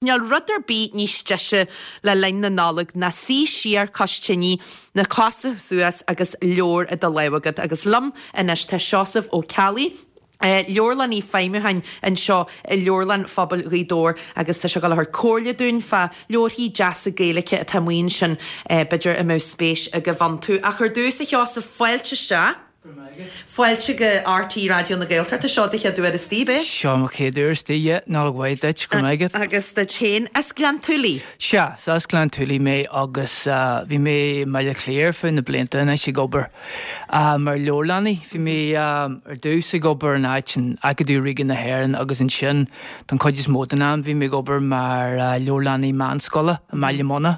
Níl rud ar bith níos deise le linn na Nollag ná suí siar cois tine, na cosa suas agus leabhar i do lámh agat. Agus liom anois tá Seosamh Ó Ceallaigh, leabharlannaí feidhmiúcháin anseo i Leabharlann Phobail Ghaoth Dobhair agus tá sé ag dul a thabhairt comhairle dúinn fá leabharthaí deasa Gaeilge atá amuigh ansin b'fhéidir a mbeadh spéis agaibh iontu. Ach ar dtús, a Sheosaimh, fáilte isteach. Fáilte go RTÉ Raidió na Gaeltachta. Seo do chéad uair istigh, ab é? Seo mo chéad uair istigh, yeah. Nollaig mhaith duit, go raibh maith agat. Agus duit féin. As Gleann tSúilí? Sea, is as Gleann tSúilí mé agus bhí mé i mBaile Átha Cliath ar feadh na blianta anois ag obair mar leabharlannaí. Bhí mé ar dtús ag obair in áit in Acadamh Ríoga na hÉireann agus ansin don chuid is mó den am bhí mé ag obair mar leabharlannaí meánscoile i mBaile Munna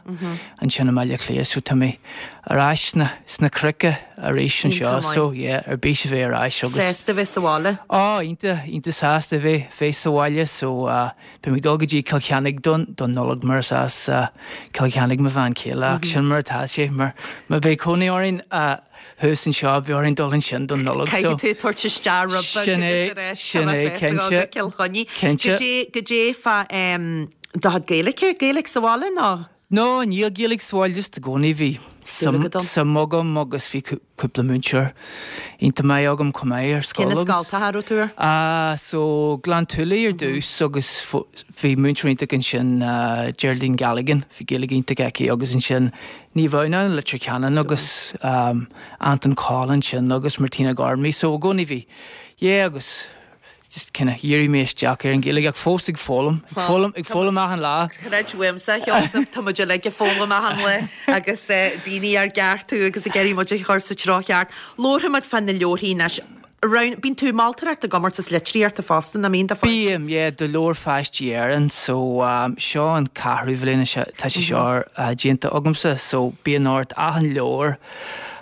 ansin i mBaile Átha Cliath so tá mé ar ais sna cnoic arís anseo so yeah ar bís a bheith ar ais agus. Sásta a bheith sa bhaile? Á iontach, iontach sásta a bheith bheith sa bhaile so beidh mé ag dul go dtí Cill Chainnigh don don Nollaig mar is as Cill Chainnigh mo bhean chéile ach sin mar atá sé mar má bheidh cónaí orainn thuas anseo beidh orainn dul ansin don Nollaig so. Caithfidh tú tabhairt isteach rud beag Sin é, agus ar ais sin é, cinnte, go Cill Chainnigh. Cinnte. Goidé fá do chuid Gaeilge, Gaeilge sa bhaile nó? No, níl Gaeilge sa bhaile, just i gcónaí bhí suim agam agus bhí cúpla múinteoir iontach maith agam chomh maith ar scoil agus. Cé na scoltacha a raibh tú air? Ah, so Gleann tSúilí ar dtús agus bhí múinteoir iontach ansin, Geraldine Galligan, bhí Gaeilge iontach aici agus ansin Naomh Adhamhnáin i Leitir Ceanainn agus Anton Coll ansin agus Martina Gormley, so i gcónaí bhí, yeah agus. just kind of dhírigh mé isteach ar an Ghaeilge ach fós ag foghlaim, ag foghlaim, ag foghlaim achan lá. Creid uaimse, a Sheosaimh, tá muid uilig ag foghlaim achan lá agus daoine ár gceartú agus ag iarraidh muid a chur sa treo cheart. Labharfaidh muid fá na leabharthaí anois. Roghn, bíonn tú ag moltóireacht i gcomórtas litríochta fosta, nach mbíonn, do pháistí? Bím, yeah, do Leabhar Pháistí Éireann, so seo an ceathrú bhliain atá sé seo déanta agamsa, so bíonn ort achan leabhar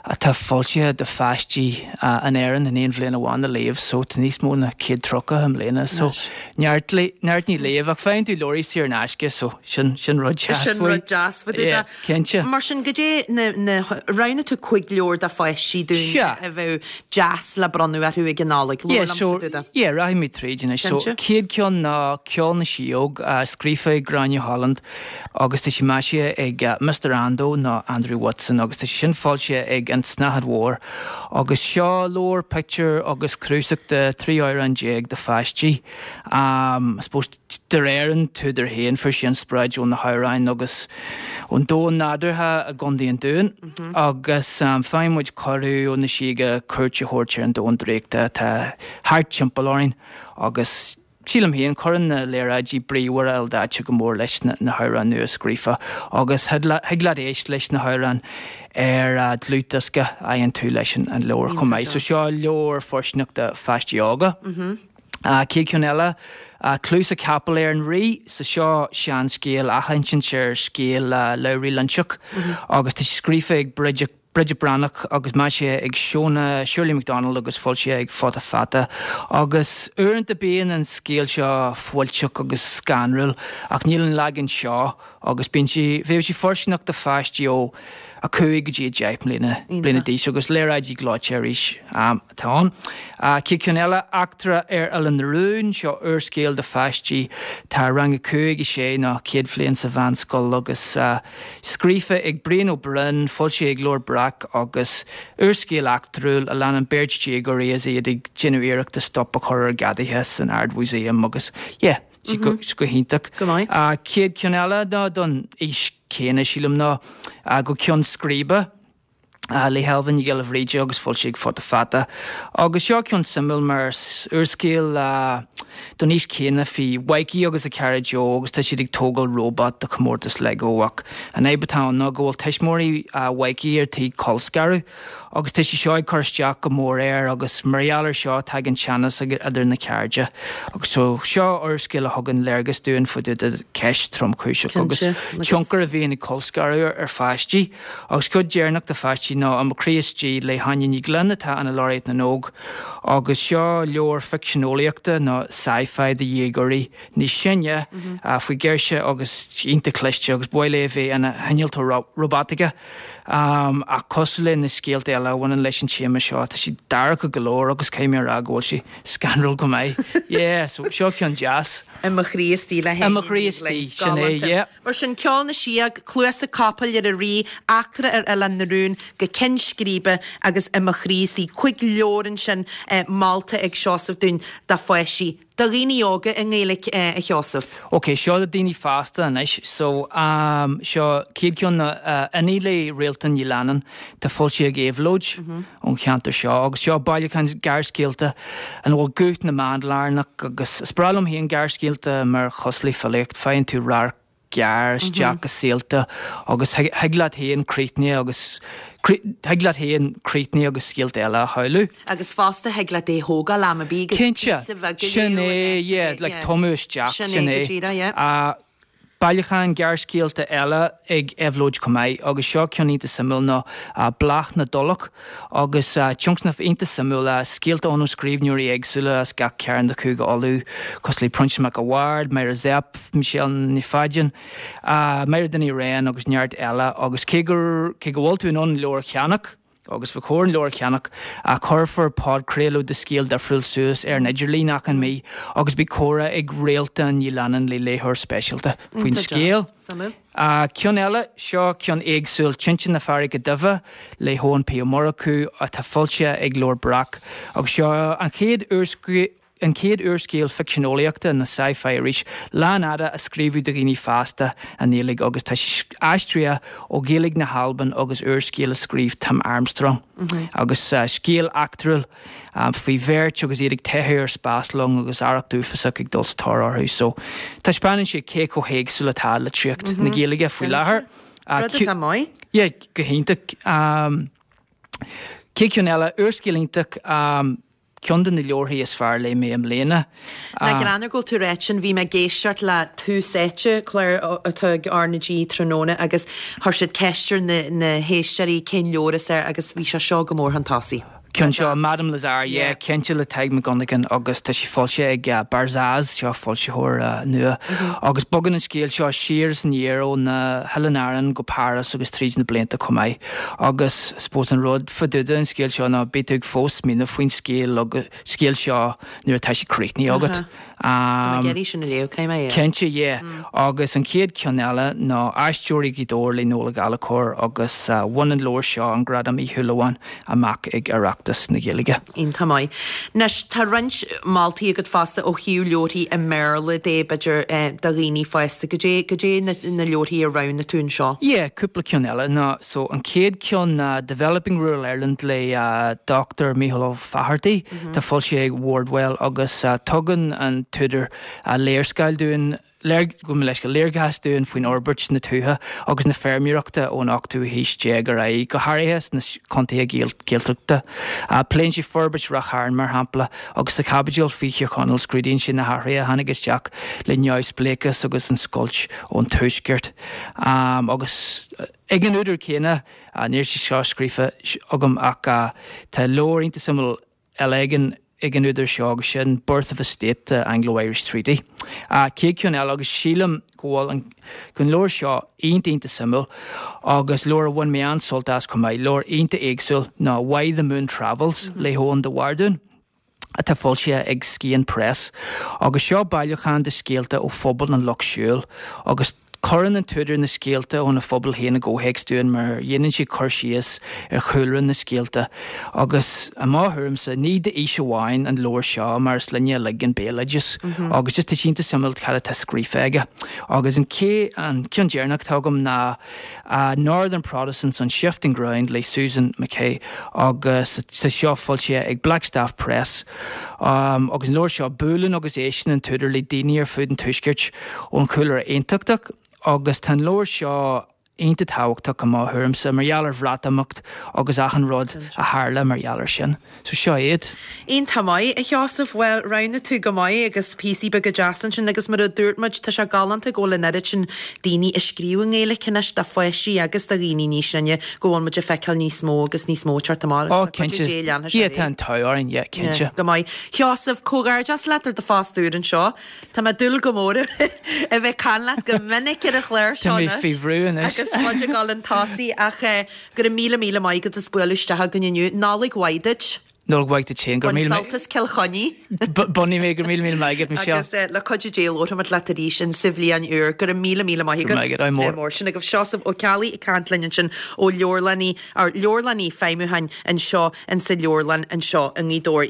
atá foilsithe do pháistí in Éirinn in aon bhliain amháin a léamh so tá níos mó ná 130 i mbliana so neart neart le léamh ach faigheann tú leabhraí saor in aisce so sin sin rud deas Sin rud deas fá dtaobh de. Cinnte. Mar sin goidé na na roghnaigh tú 5 leabhar do pháistí dúinn Sea. a bheadh deas le bronnadh orthu ag an Nollaig. Yeah, Labhair liom so, fá dtaobh de. yeah, rachaidh mé tríd anois. So, Cinnte. chéad ceann ná Ceol na Síóg, scríofa ag Gráinne Holland agus tá sé maisithe ag Mister Ando nó Andrew Watson agus tá sé sin foilsithe ag An tSnáthaid Mhór agus seo leabhar pictiúr agus cnuasach de 13 amhrán do pháistí. I suppose de réir an t-údar féin fuair sé inspioráid ó na hamhráin agus ón domhan nádúrtha i gContae an Dúin agus faigheann muid cuireadh ó na síoga cuairt a thabhairt ar an domhan draíochta atá thart timpeall orainn agus Sílim féin, cuireann na léaráidí bríomhara ildaite go mór leis na hamhráin nua scríofa agus thig leat éist leis na hamhráin ar dlúthdhiosca a fhaigheann tú leis an leabhar chomh maith. So seo leabhar fóirsteanach do pháistí óga. Chéad cheann eile, Cluasa Capaill ar an Rí. So seo seanscéal, athinsint ar scéal Labhraí Loinseach agus tá sé scríofa ag Bridget Bridget Breathnach agus maisithe ag Shona Shirley McDonald agus foilsithe ag Futa Fata. Agus uaireanta bíonn an scéal seo fuilteach agus scanrúil ach níl an leagan seo agus bíonn sé, bheadh sé fóirsteanach do pháistí ó 5 go dtí 10 mbliana bliana d'aois agus léaráidí gleoite arís atá ann. Chéad cheann eile, Eachtra ar Oileán na Rún, seo úrscéal do pháistí atá i rang 5, 6 nó chéad bhliain sa mheánscoil agus Scríofa ag Brian Ó Broin, foilsithe ag Leabhar Breac agus úrscéal eachtrúil a leanann beirt déagóirí is iad ag déanamh iarrachta stop a chur ar ghadaithe san Ard-Mhúsaem agus yeah, sé go go hiontach. Go maith. Chéad cheann eile ná don aois chéanna sílim ná Go Ceann Scríbe. le hAilbhe Ní Ghiolla Bhríde agus foilsithe ag Futa Fata. Agus seo ceann suimiúil mar úrscéal don aois chéanna faoi Mhikey agus a chara Joe agus tá siad ag tógáil róbat do chomórtas Lego ach an fhadhb atá ann ná go bhfuil tuismitheoirí Mhikey ar tí colscaradh agus tá sé seo ag cur isteach go mór air agus mar gheall ar seo tagann teannas idir na cairde. Agus so seo úrscéal a thugann léargas dúinn faoi de cheist tromchúiseach agus tionchar a bhíonn ag colscaradh ar pháistí. Agus cuid deireanach do pháistí ná I Mo Chroí Istigh le hÁine Ní Ghlinn atá ina Laureate na nÓg agus seo leabhar ficsean eolaíochta nó. sci-fi do dhéagóirí níos sine faoi ghirse agus iontach cliste agus ba mhaith léi a bheith ina hinnealtóir róbataice. Ach cosúil le na scéalta eile a bhaineann leis an téama seo, tá siad dorcha go leor agus caithfidh mé a rá go bhfuil sé scanrúil go maith. Yeah, so seo ceann deas. I mo chroí istigh le I mo chroí istigh, sin é, yeah. Mar sin, Ceol na Síóg, Cluasa Capaill ar an Rí, Eachtra ar Oileán na Rún, Go Cinn Scríbe agus I mo chroí istigh. 5 leabhar ansin molta ag Seosamh dúinn do pháistí, do dhaoine óga i nGaeilge, a Sheosaimh. Ok, seo do daoine fásta anois. So, seo chéad cheann ná Inní le Réaltán Ní Leannáin, tá foilsithe ag Éabhlóid. ón cheantar seo agus seo bailiúchán gearrscéalta ina bhfuil guth na mban lárnach agus is breá liom féin gearrscéalta mar cosúil le filíocht, faigheann tú radharc gearr isteach i saolta agus thig leat féin críochnaithe agus thig leat féin críochnaithe agus scéalta eile a shamhlú. Agus fosta thig leat é a thógáil am ar bith agus Cinnte, píosa bheag a sin léamh é, in áit ar yeah, bith, like yeah. tumadh isteach, Sin sin é, go é. díreach, yeah. Bailiúchán gearrscéalta eile ag Éabhlóid chomh maith agus seo ceann iontach suimiúil ná Bláth na dTulach agus tionscnamh iontach suimiúil, scéalta ann ó scríbhneoirí éagsúla as gach cearn de Chúige Uladh cosúil le Proinsias Mac a' Bhaird, Máire Zepf, Michelle Ní Phaidín, Mairéad Ní Riain agus neart eile agus cé gur cé go bhfuil tú in ann an leabhar a cheannach, Agus ba chóir an leabhar a cheannach, ach cuirfear podchraoladh de scéal difriúil suas ar an idirlíon achan mí agus beidh comhrá ag Réaltán Ní Leannáin le léitheoir speisialta faoin scéal. Ceann eile, seo ceann éagsúil, Tinte na Farraige Duibhe le hEoin P Ó Murchú atá foilsithe ag Leabhar Breac agus seo an chéad An chéad úrscéal ficsean eolaíochta, nó sci-fi arís, lánfhada a scríobhadh do dhaoine fásta i nGaeilge agus tá sé aistrithe ó Ghaeilge na hAlban agus úrscéal a scríobh Tim Armstrong. Agus scéal eachtrúil faoi bheirt agus iad ag teitheadh ar spáslong agus arracht uafásach ag dul sa tóir orthu. So, taispeánann sé cé chomh héagsúil atá litríocht na Gaeilge faoi láthair. Rud atá maith. Yeah, go hiontach. Chéad cheann eile, úrscéal iontach. Ceann de na leabharthaí is fearr a léigh mé i mbliana. Nach greannmhar go bhfuil tú ag ráit sin, bhí mé ag éisteacht le Tús Áite, clár atá ag R na G tráthnóna agus chuir siad ceist ar na na héisteoirí cén leabhar is fearr agus bhí sé seo go mór chun tosaigh. Ceann seo, Madame Lazare, yeah, cinnte le Tadhg Mac Dhonnagáin agus tá sé foilsithe ag Barzaz, seo foilsitheoir nua. Agus bogann an scéal seo siar is aniar ó na hOileáin Árann go Páras agus tríd na blianta chomh maith. Agus suppose an rud fá dtaobh den scéal seo ná beidh tú ag fós smaoineamh faoin scéal agus scéal seo nuair atá sé críochnaithe agat. Tá mé ag iarraidh sin a léamh, caithfidh mé é. Cinnte, yeah. Agus an chéad cheann eile ná Aisteoirí Ghaoth Dobhair le Noel Ó Gallchóir agus bhain an leabhar seo an Gradam Uí Shúilleabháin amach ag Oireachtas na Gaeilge. Iontach maith. Anois, tá roinnt moltaí agat fosta ó thaobh leabharthaí i mBéarla de, b'fhéidir, do dhaoine fásta. Goidé, goidé na, na leabharthaí a roghnaigh tú anseo? Yeah, cúpla ceann eile ná, so an chéad cheann ná Developing Rural Ireland le Dr Mícheál Ó Fáthartaigh, tá foilsithe ag Wardwell agus tugann an t-údar léarscáil dúinn, gabh mo leithscéal, léargas dúinn faoin fhorbairt na tuaithe agus na feirmeoireachta ón ochtú haois déag ar aghaidh, go háirithe sna contaetha Gaeltachta. Pléann sé forbairt Ráth Chairn, mar shampla, agus sa chaibidil faoi Thír Chonaill scrúdaíonn sé na hathruithe a tháinig isteach le neamhspléachas agus an scoilt ón tuaisceart. Agus ag an údar céanna, níl sé seo scríofa agam ach tá leabhar iontach suimiúil eile ag an ag an údar seo agus sin Birth of a State, The Anglo-Irish Treaty. Chéad cheann eile agus sílim go bhfuil an go an leabhar seo iontach iontach suimiúil agus leabhar a bhain mé an-sult as chomh maith, leabhar iontach éagsúil ná Why the Moon Travels le hEoghan de Bhardún atá foilsithe ag Scian Press agus seo bailiúchán de scéalta ó phobal an Lucht Siúil agus Cuireann an t-údar na scéalta óna phobal féin i gcomhthéacs dúinn mar dhéanann sé cur síos ar chúlra na scéalta agus, i mo thuairimse, ní d'aois amháin an leabhar seo mar is linne uilig an béaloideas agus just tá sé iontach suimiúil cad atá scríofa aige. Agus an an ceann deireanach atá agam ná Northern Protestants on Shifting Ground le Susan McKay agus tá seo foilsithe ag Blackstaff Press agus an leabhar seo buaileann agus éisteann an t-údar le daoine ar fud an tuaiscirt ón chúlra aontachtach agus tá an leabhar seo. iontach tábhachtach i mo thuairimse mar gheall ar Bhreatimeacht agus achan rud a tharla mar gheall air sin. So seo iad. Iontach maith, a Sheosaimh. Bhuel, roghnaigh tú go maith agus píosaí beaga deasa ansin agus mar a dúirt muid, tá sé galánta go bhfuil an oiread sin daoine ag scríobh i nGaeilge anois do pháistí agus do dhaoine níos sine, go bhfuil muid ag feiceáil níos mó agus níos mó ag teacht amach agus Ó, cinnte. Dé leanfaidh sé Yeah, tá an t-ádh orainn, yeah, cinnte. Yeah, go maith. Sheosaimh, comhghairdeas leat ar do phost úr anseo. Tá mé ag dúil go mór a bheith ag caint leat go minic ar an chlár seo Tá mé anois faoi bhrú anois. agus muid ag dul chun tosaigh ach go raibh míle míle maith agat as bualadh isteach againn inniu. Nollaig mhaith duit. Nollaig mhaith duit féin. Go raibh míle Bain sult as Cill Chainnigh. Bainfidh mé, go raibh míle míle maith agat, Michelle. Agus le cuidiú Dé labharfaimid leat arís in sa bhliain úr. Go raibh míle míle maith agat. Go raibh maith agat, ádh mór. Mór. Sin agaibh Seosamh Ó Ceallaigh ag caint linn ansin ó leabharlannaí, ár leabharlannaí feidhmiúcháin anseo in sa leabharlann anseo i nGaoth Dobhair.